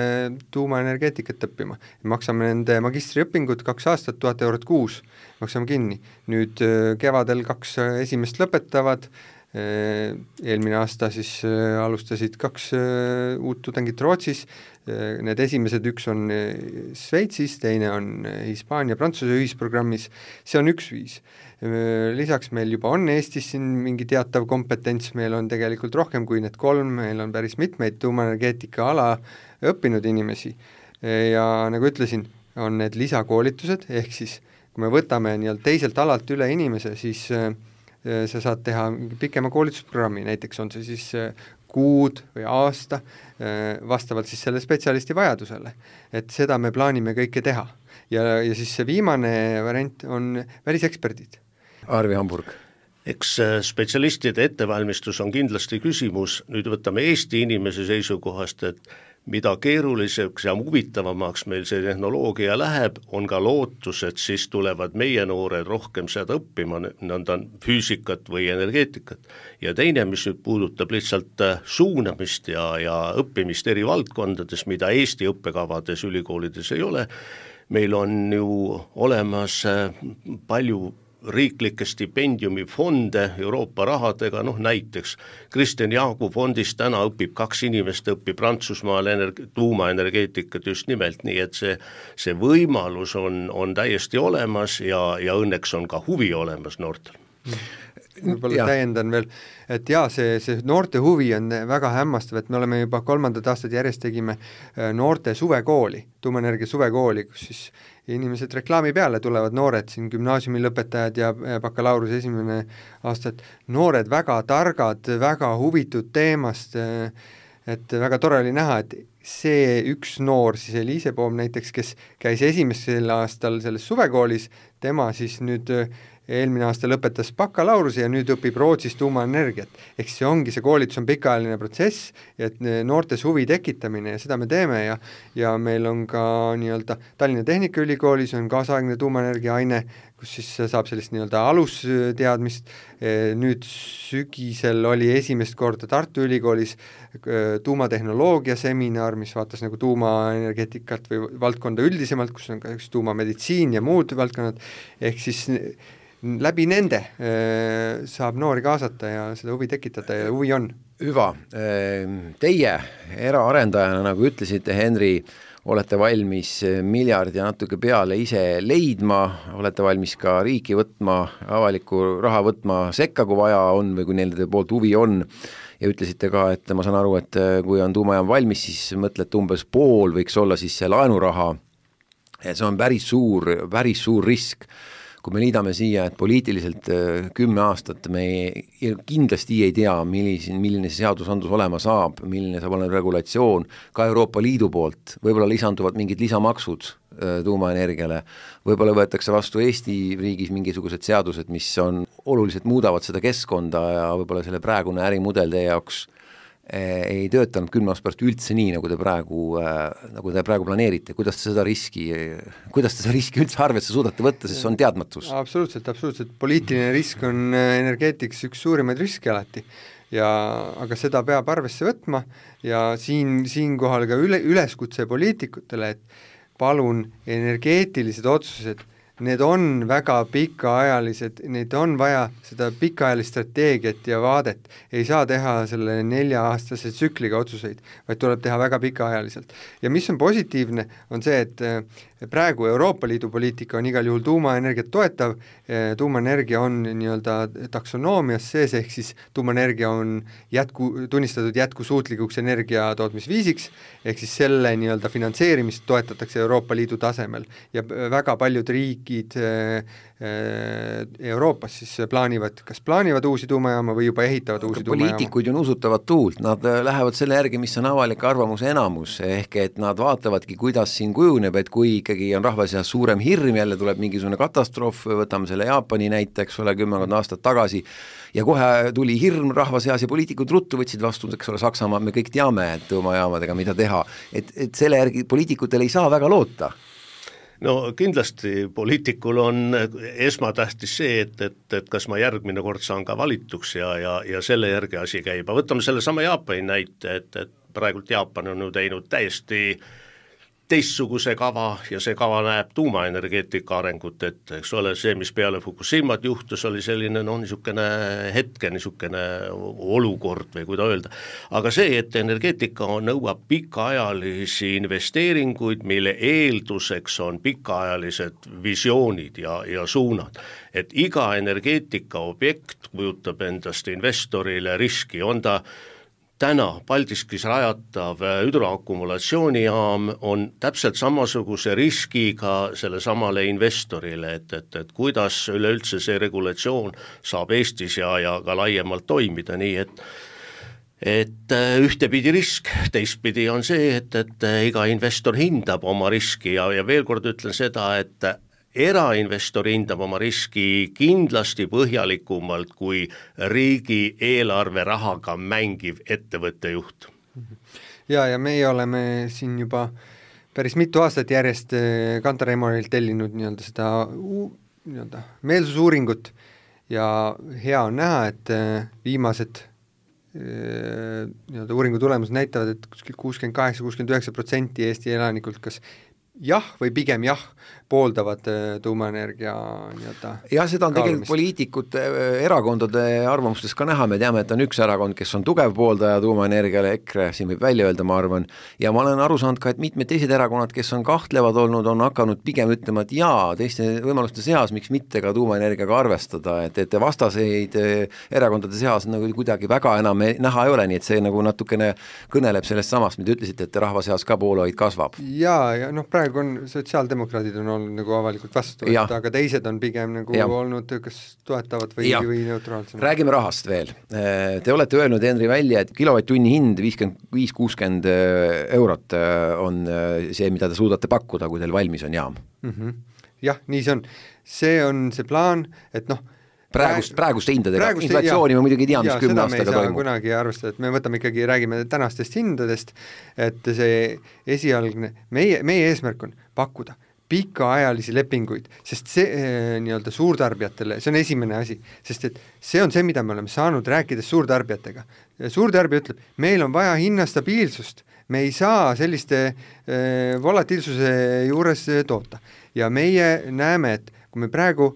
tuumaenergeetikat õppima. Maksame nende magistriõpingud kaks aastat, tuhat eurot kuus, maksame kinni. Nüüd kevadel kaks esimest lõpetavad, eelmine aasta siis alustasid kaks uut tudengit Rootsis, need esimesed üks on Sveitsis, teine on Hispaania, Prantsuse ühisprogrammis, see on üks viis. Lisaks meil juba on Eestis siin mingi teatav kompetents, meil on tegelikult rohkem kui need kolm, meil on päris mitmeid tuumaenergeetika ala õppinud inimesi ja nagu ütlesin, on need lisakoolitused, ehk siis kui me võtame nii-öelda teiselt alalt üle inimese, siis sa saad teha pikema koolitusprogrammi, näiteks on see siis kuud või aasta, vastavalt siis selle spetsialisti vajadusele. Et seda me plaanime kõike teha. Ja, ja siis see viimane variant on väliseksperdid. Arvi Hamburg. Eks spetsialistide ettevalmistus on kindlasti küsimus, nüüd võtame Eesti inimese seisukohast, et mida keeruliseks ja huvitavamaks meil see tehnoloogia läheb, on ka lootus, et siis tulevad meie noored rohkem seda õppima, nõnda füüsikat või energeetikat. Ja teine, mis nüüd puudutab lihtsalt suunamist ja, ja õppimist eri valdkondades, mida Eesti õppekavades ülikoolides ei ole, meil on ju olemas palju riiklikke stipendiumifonde Euroopa rahadega, noh näiteks Kristjan Jaagu fondist täna õpib kaks inimest, õpib Prantsusmaal energi- tuumaenergeetikat just nimelt, nii et see, see võimalus on, on täiesti olemas ja, ja õnneks on ka huvi olemas noortel. Võib-olla täiendan veel, et jaa, see, see noorte huvi on väga hämmastav, et me oleme juba kolmandat aastat järjest tegime noorte suvekooli, tuumaenergia suvekooli, kus siis inimesed reklaami peale tulevad noored, siin gümnaasiumi lõpetajad ja bakalaureuse esimene aasta, et noored väga targad, väga huvitud teemast, et väga tore oli näha, et see üks noor, siis Eliise Poom näiteks, kes käis esimesel aastal selles suvekoolis, tema siis nüüd eelmine aasta lõpetas bakalaureuse ja nüüd õpib Rootsis tuumaenergiat. Ehk see ongi, see koolitus on pikaajaline protsess, et noortes huvi tekitamine ja seda me teeme ja, ja meil on ka nii-öelda Tallinna Tehnikaülikoolis on kaasaegne tuumaenergia aine, kus siis saab sellist nii-öelda alusteadmist. Nüüd sügisel oli esimest korda Tartu Ülikoolis tuumatehnoloogia seminar, mis vaatas nagu tuumaenergeetikat või valdkonda üldisemalt, kus on ka üks tuumameditsiin ja muud valdkonnad, ehk siis läbi nende saab noori kaasata ja seda huvi tekitada ja huvi on. Hüva, teie eraarendajana, nagu ütlesite, Henri, olete valmis miljard ja natuke peale ise leidma, olete valmis ka riiki võtma, avalikku raha võtma sekka, kui vaja on või kui neil poolt huvi on, ja ütlesite ka, et ma saan aru, et kui on tuumajaam valmis, siis mõtlete umbes pool võiks olla siis see laenuraha, ja see on päris suur, päris suur risk. Kui me liidame siia, et poliitiliselt kümme aastat me kindlasti ei tea, milline, milline see seadusandlus olema saab, milline saab olema regulatsioon, ka Euroopa Liidu poolt, võib-olla lisanduvad mingid lisamaksud tuumaenergiale, võib-olla võetakse vastu Eesti riigis mingisugused seadused, mis on oluliselt muudavad seda keskkonda ja võib-olla selle praegune ärimudel teie jaoks ei töötanud kümne aasta pärast üldse nii, nagu te praegu, nagu te praegu planeerite, kuidas te seda riski, kuidas te seda riski üldse arvesse suudate võtta, sest see on teadmatus? Absoluutselt, absoluutselt. Poliitiline risk on energeetikas üks suurimaid riske alati, ja, aga seda peab arvesse võtma ja siin, siinkohal ka üle, üleskutse poliitikutele, et palun energeetilised otsused, need on väga pikaajalised, neid on vaja seda pikaajalist strateegiat ja vaadet, ei saa teha selle nelja-aastase tsükliga otsuseid, vaid tuleb teha väga pikaajaliselt. Ja mis on positiivne, on see, et praegu Euroopa Liidu poliitika on igal juhul tuumaenergiat toetav, tuumaenergia on nii-öelda taksonoomias sees, ehk siis tuumaenergia on jätku, tunnistatud jätkusuutlikuks energia tootmisviisiks, ehk siis selle nii-öelda finantseerimist toetatakse Euroopa Liidu tasemel ja väga paljud riigid Euroopas siis plaanivad, kas plaanivad uusi tuumajaama või juba ehitavad uusi tuumajaama. Poliitikuid on usutavad tuult, nad lähevad selle järgi, mis on avalik arvamuse enamus, ehk et nad vaatavadki, kuidas siin kujuneb, et kui ikkagi on rahva seas suurem hirm, jälle tuleb mingisugune katastroof, võtame selle Jaapani näiteks, ole kümmekond aastat tagasi, ja kohe tuli hirm rahva seas ja poliitikud ruttu võtsid vastu, eks ole, Saksamaa, me kõik teame, et tuumajaamadega mida teha, et, et selle järgi poliitikutel ei saa väga loota. No kindlasti poliitikul on esmatähtis see, et, et, et kas ma järgmine kord saan ka valituks ja, ja, ja selle järgi asi käib. Võtame selle sama Jaapani näite, et, et praegult Jaapan on ju teinud täiesti teistsuguse kava ja see kava näeb tuumaenergeetika arengut ette, eks ole, see, mis peale Fukushimat juhtus, oli selline no niisugune hetke, niisugune olukord või kuida öelda, aga see, et energeetika nõuab pikaajalisi investeeringuid, mille eelduseks on pikaajalised visioonid ja, ja suunad, et iga energeetika objekt kujutab endast investorile riski, on ta täna Paldiskis rajatav hüdroakumulatsioonijaam on täpselt samasuguse riskiga selle samale investorile, et, et, et kuidas üleüldse see regulatsioon saab Eestis ja, ja ka laiemalt toimida, nii et et ühtepidi risk, teistpidi on see, et, et iga investor hindab oma riski ja, ja veel kord ütlen seda, et erainvestor hindab oma riski kindlasti põhjalikumalt kui riigi eelarve rahaga mängiv ettevõtte juht. Ja, ja meie oleme siin juba päris mitu aastat järjest Kantar Emorilt tellinud nii-öelda seda nii-öelda meelsusuuringut ja hea on näha, et viimased nii-öelda uuringu tulemused näitavad, et kuuskümmend kaheksa kuuskümmend üheksa protsenti Eesti elanikult kas jah või pigem jah pooldavad tuumaenergia nii-öelda ja seda on tegelikult poliitikute erakondade arvamustes ka näha, me teame, et on üks erakond, kes on tugev pooldaja tuumaenergiale, EKRE, siin võib välja öelda, ma arvan, ja ma olen aru saanud ka, et mitmed teised erakonnad, kes on kahtlevad olnud, on hakanud pigem ütlema, et jaa, teiste võimaluste seas, miks mitte ka tuumaenergiaga arvestada, et, et vastaseid erakondade seas nagu kuidagi väga enam näha ei ole, nii et see nagu natukene kõneleb sellest samast, mida ütlesite, et rahva seas ka poolehoid kasvab. Jaa, ja noh, praegu on sotsiaaldemokraadid on olnud nagu avalikult vastu, et aga teised on pigem nagu ja. olnud kas toetavad või, või neutraalsemad. Räägime rahast veel. Te olete öelnud, Henri, välja, et kilovatt-tunni hind viiskümmend viis kuuskümmend eurot on see, mida te suudate pakkuda, kui teil valmis on jaam. Mm-hmm. Jah, nii see on. See on see plaan, et noh, praegust, praegust hindadega, inflatsiooni ma muidugi tean, mis kümne aastaga toimub. Seda me ei saa kunagi arvestada, et me võtame ikkagi, räägime tänastest hindadest, et see esialgne, meie, meie eesmärk on pakkuda pikaajalisi lepinguid, sest see eh, nii-öelda suurtarbijatele, see on esimene asi, sest et see on see, mida me oleme saanud rääkides suurtarbijatega. Suurtarbija ütleb, meil on vaja hinnastabiilsust, me ei saa selliste eh, volatiilsuse juures toota. Ja meie näeme, et kui me praegu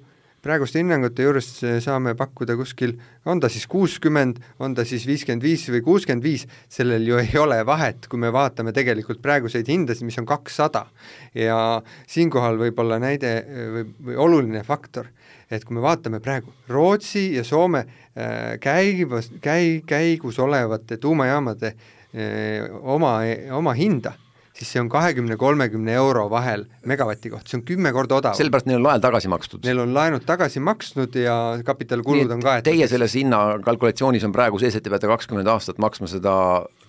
praeguste hinnangute juures saame pakkuda kuskil, on ta siis kuuskümmend, on ta siis viiskümmend viis või kuuskümmend viis, sellel ju ei ole vahet, kui me vaatame tegelikult praeguseid hindasid, mis on kakssada. Ja siinkohal võib olla näide või, või oluline faktor, et kui me vaatame praegu Rootsi ja Soome käivas, käi, käigus olevate tuumajaamade oma, oma hinda, siis see on kahekümne kolmekümne euro vahel megavati koht, see on kümme korda odav. Sellepärast neil on laen tagasi makstud. Neil on laenud tagasi maksnud ja kapitalkulud on kaetud. Teie selles hinna kalkulatsioonis on praegu sees, et te peate kakskümmend aastat maksma seda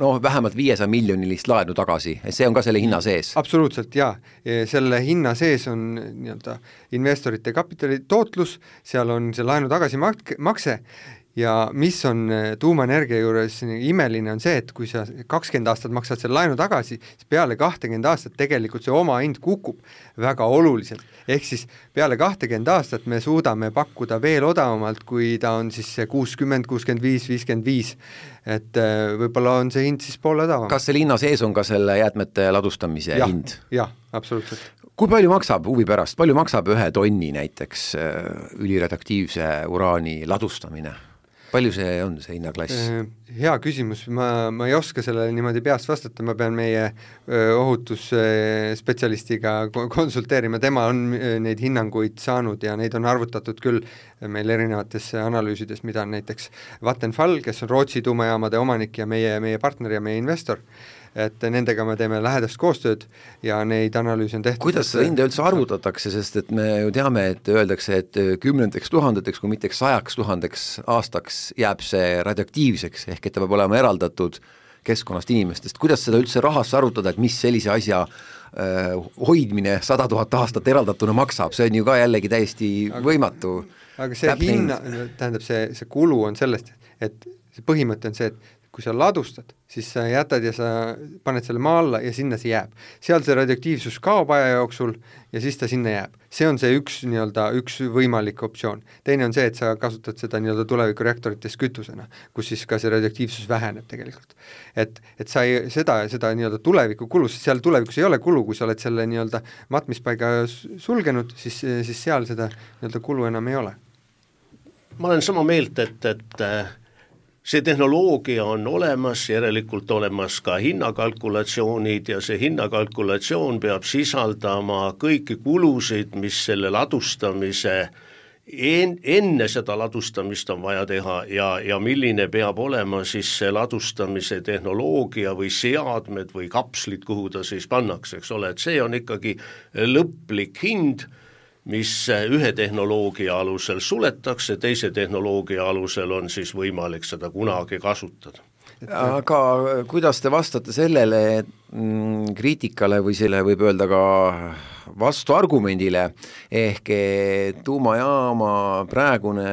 noh, vähemalt viiesaja miljonilist laenu tagasi. See on ka selle hinna sees? Absoluutselt, jaa. Selle hinna sees on nii-öelda investorite kapitali tootlus, seal on see laenu tagasi makse. Ja mis on tuumaenergia juures imeline on see, et kui sa kakskümmend aastat maksad selle laenu tagasi, siis peale kakskümmend aastat tegelikult see oma hind kukub väga oluliselt. Ehk siis peale kakskümmend aastat me suudame pakkuda veel odavamalt, kui ta on siis see kuuskümmend, kuuskümmend viis, viiskümmend viis. Et võib-olla on see hind siis poole odavam. Kas selle hinna sees on ka selle jäätmete ladustamise ja, hind? Jah, absoluutselt. Kui palju maksab huvi pärast? Palju maksab ühe tonni näiteks üliradioaktiivse uraani ladustamine? Palju see on, see hinnaklass? Hea küsimus, ma, ma ei oska sellele niimoodi peast vastata, ma pean meie ohutusspetsialistiga konsulteerima, tema on neid hinnanguid saanud ja neid on arvutatud küll meil erinevates analüüsides, mida on näiteks Vattenfall, kes on Rootsi tuumajaamade omanik ja meie, meie partner ja meie investor, et nendega me teeme lähedast koostööd ja neid analüüsi on tehtud. Kuidas seda hinda üldse arvutatakse, sest et me ju teame, et öeldakse, et kümnendeks tuhandeteks, kui mitte sajaks tuhandeks aastaks jääb see radioaktiivseks, ehk et ta peab olema eraldatud keskkonnast inimestest. Kuidas seda üldse rahasse arvutada, et mis sellise asja äh, hoidmine sada tuhat aastat eraldatuna maksab, see on ju ka jällegi täiesti aga, võimatu. Aga see hinna, tähendab see, see kulu on sellest, et see põhimõte on see, et kui sa ladustad, siis sa jätad ja sa paned selle maa alla ja sinna see jääb. Seal see radioaktiivsus kaob aja jooksul ja siis ta sinna jääb. See on see üks, nii-öelda, üks võimalik optsioon. Teine on see, et sa kasutad seda nii-öelda tulevikureaktorites kütusena, kus siis ka see radioaktiivsus väheneb tegelikult. Et, et sa ei, seda, seda nii-öelda tuleviku kulu, sest seal tulevikus ei ole kulu, kui sa oled selle nii-öelda matmispaiga sulgenud, siis, siis seal seda nii-öelda kulu enam ei ole. Ma olen sama meelt, et, et see tehnoloogia on olemas, järelikult olemas ka hinnakalkulatsioonid ja see hinnakalkulatsioon peab sisaldama kõiki kulusid, mis selle ladustamise, en, enne seda ladustamist on vaja teha ja, ja milline peab olema siis see ladustamise tehnoloogia või seadmed või kapslid, kuhu ta siis pannakse, eks ole, et see on ikkagi lõplik hind, mis ühe tehnoloogia alusel suletakse, teise tehnoloogia alusel on siis võimalik seda kunagi kasutada. Aga kuidas te vastate sellele mm, kriitikale või selle võib öelda ka vastuargumendile, ehk tuumajaama praegune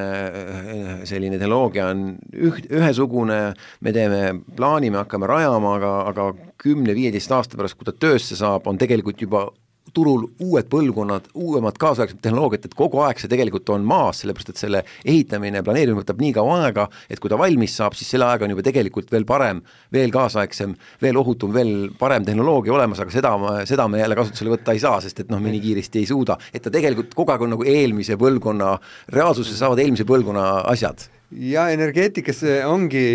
selline tehnoloogia on üh, ühesugune, me teeme plaani, me hakkame rajama, aga, aga kümne viieteist aasta pärast, kui ta töösse saab, on tegelikult juba turul uued põlvkonnad, uuemad kaasaegsemad tehnoloogiat, et kogu aeg see tegelikult on maas, sellepärast et selle ehitamine, planeerimine võtab nii kaua aega, et kui ta valmis saab, siis selle aega on juba tegelikult veel parem, veel kaasaegsem, veel ohutum, veel parem tehnoloogia olemas, aga seda, seda me jälle kasutusele võtta ei saa, sest et noh, me nii kiiresti ei suuda, et ta tegelikult kogu aeg on nagu eelmise põlvkonna, reaalsuses saavad eelmise põlvkonna asjad. Ja energeetikas ongi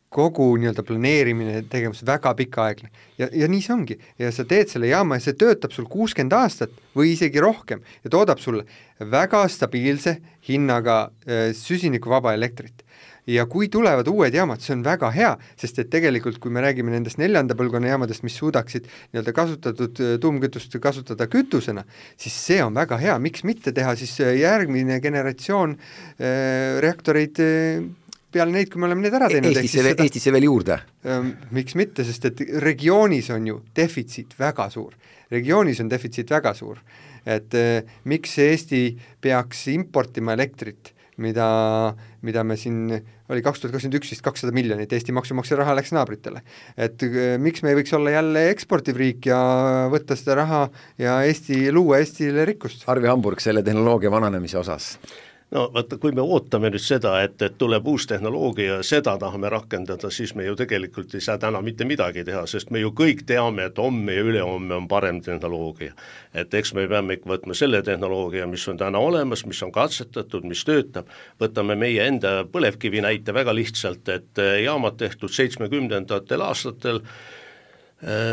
kogu nii-öelda planeerimine tegevus väga pikaaegne ja, ja nii see ongi ja sa teed selle jaama ja see töötab sul kuuskümmend aastat või isegi rohkem ja toodab sulle väga stabiilse hinnaga äh, süsinikuvaba elektrit ja kui tulevad uued jaamad, see on väga hea, sest et tegelikult kui me räägime nendest neljanda põlvkonna jaamadest, mis suudaksid nii-öelda kasutatud tuumkütust kasutada kütusena, siis see on väga hea, miks mitte teha siis järgmine generatsioon äh, reaktoreid äh, peale neid, kui me oleme need ära teinud. Eestisse, seda, Eestisse veel juurde? Ähm, miks mitte, sest et regioonis on ju defitsiit väga suur. Regioonis on defitsiit väga suur. Et äh, miks Eesti peaks importima elektrit, mida, mida me siin, oli kaks tuhat kakskümmend üks vist kakssada miljonit, Eesti maksumaksja raha läks naabritele. Et äh, miks me ei võiks olla jälle eksportiv riik ja võtta seda raha ja Eesti, luua Eestile rikkust? Arvi Hamburg selle tehnoloogia vananemise osas. no vaata, kui me ootame nüüd seda, et, et tuleb uus tehnoloogia ja seda tahame rakendada, siis me ju tegelikult ei saa täna mitte midagi teha, sest me ju kõik teame, et homme ja ülehomme on parem tehnoloogia. Et eks me peame ikka võtma selle tehnoloogia, mis on täna olemas, mis on katsetatud, mis töötab, võtame meie enda põlevkivi näite väga lihtsalt, et jaamad tehtud seitsmekümnendatel aastatel,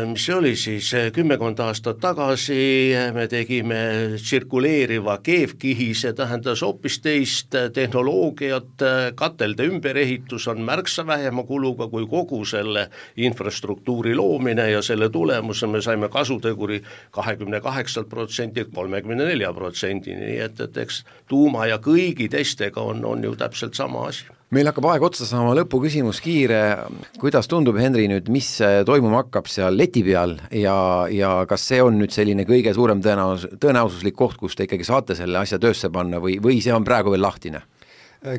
mis oli siis kümmekond aastat tagasi, me tegime tsirkuleeriva keevkihi, see tähendas hoopis teist tehnoloogiat, katelde ümberehitus on märksa vähema kuluga kui kogu selle infrastruktuuri loomine ja selle tulemusel me saime kasuteguri kahekümne kaheksalt protsendilt kolmekümne nelja protsendini, nii et, et eks tuuma ja kõigi teistega on, on ju täpselt sama asi. Meil hakkab aeg otsa saama, lõpuküsimus kiire, kuidas tundub, Henri, nüüd, mis toimuma hakkab seal leti peal ja, ja kas see on nüüd selline kõige suurem tõenäos, tõenäosuslik koht, kus te ikkagi saate selle asja töösse panna või, või see on praegu veel lahtine?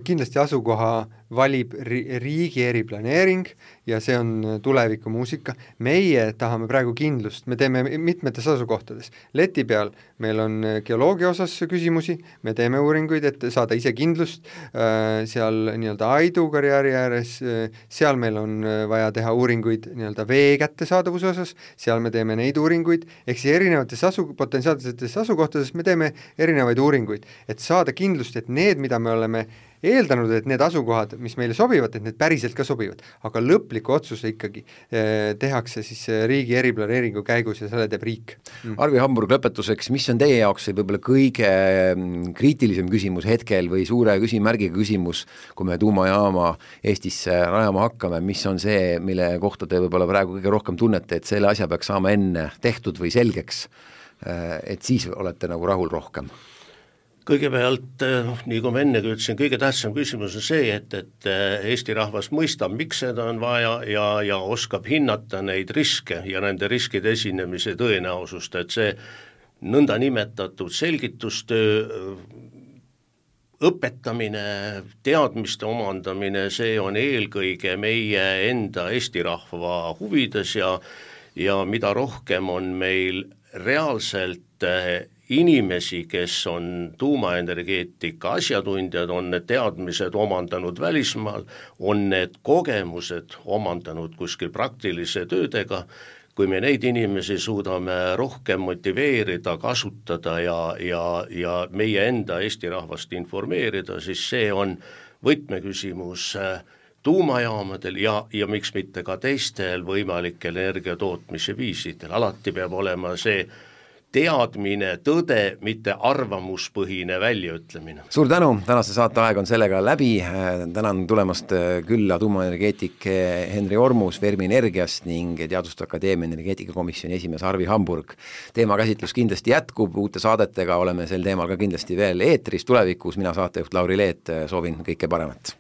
Kindlasti asukoha valib riigi eriplaneering ja see on tulevikumuusika. Meie tahame praegu kindlust, me teeme mitmetes asukohtades. Leti peal meil on geoloogia osas küsimusi, me teeme uuringuid, et saada ise kindlust, seal nii-öelda Aidu karjääri ääres, seal meil on vaja teha uuringuid nii-öelda vee kättesaadavuse osas, seal me teeme neid uuringuid, ehk siis erinevates asu, potentsiaalsetes asukohtades me teeme erinevaid uuringuid, et saada kindlust, et need, mida me oleme eeldanud, et need asukohad, mis meile sobivad, et need päriselt ka sobivad, aga lõpliku otsuse ikkagi eh, tehakse siis riigi eriplaneeringu käigus ja selle teeb riik. Mm. Arvi Hamburg, lõpetuseks, mis on teie jaoks võib-olla kõige kriitilisem küsimus hetkel või suure küsimärgiga küsimus, kui me tuumajaama Eestisse rajama hakkame, mis on see, mille kohta te võib-olla praegu kõige rohkem tunnete, et selle asja peaks saama enne tehtud või selgeks, et siis olete nagu rahul rohkem? Kõigepealt, nii kui ma ennegi ütlesin, kõige tähtsam küsimus on see, et, et Eesti rahvas mõistab, miks seda on vaja ja, ja oskab hinnata neid riske ja nende riskide esinemise tõenäosust, et see nõnda nimetatud selgitustöö, õpetamine, teadmiste omandamine, see on eelkõige meie enda Eesti rahva huvides ja, ja mida rohkem on meil reaalselt inimesi, kes on tuumaenergeetika asjatundjad, on need teadmised omandanud välismaal, on need kogemused omandanud kuskil praktilise töödega, kui me neid inimesi suudame rohkem motiveerida, kasutada ja, ja, ja meie enda Eesti rahvast informeerida, siis see on võtmeküsimus tuumajaamadel ja, ja miks mitte ka teistel võimalikel energiatootmise viisidel. Alati peab olema see teadmine, tõde, mitte arvamuspõhine väljaütlemine. Suur tänu, tänase saate aeg on sellega läbi, tänan tulemast külla tuumaenergeetik Henri Ormus Fermi Energiast ning Teaduste Akadeemia energeetikakomisjoni esimees Arvi Hamburg. Teema käsitlus kindlasti jätkub, uute saadetega oleme sel teemal ka kindlasti veel eetris tulevikus, mina saatejuht Lauri Leet, soovin kõike paremat.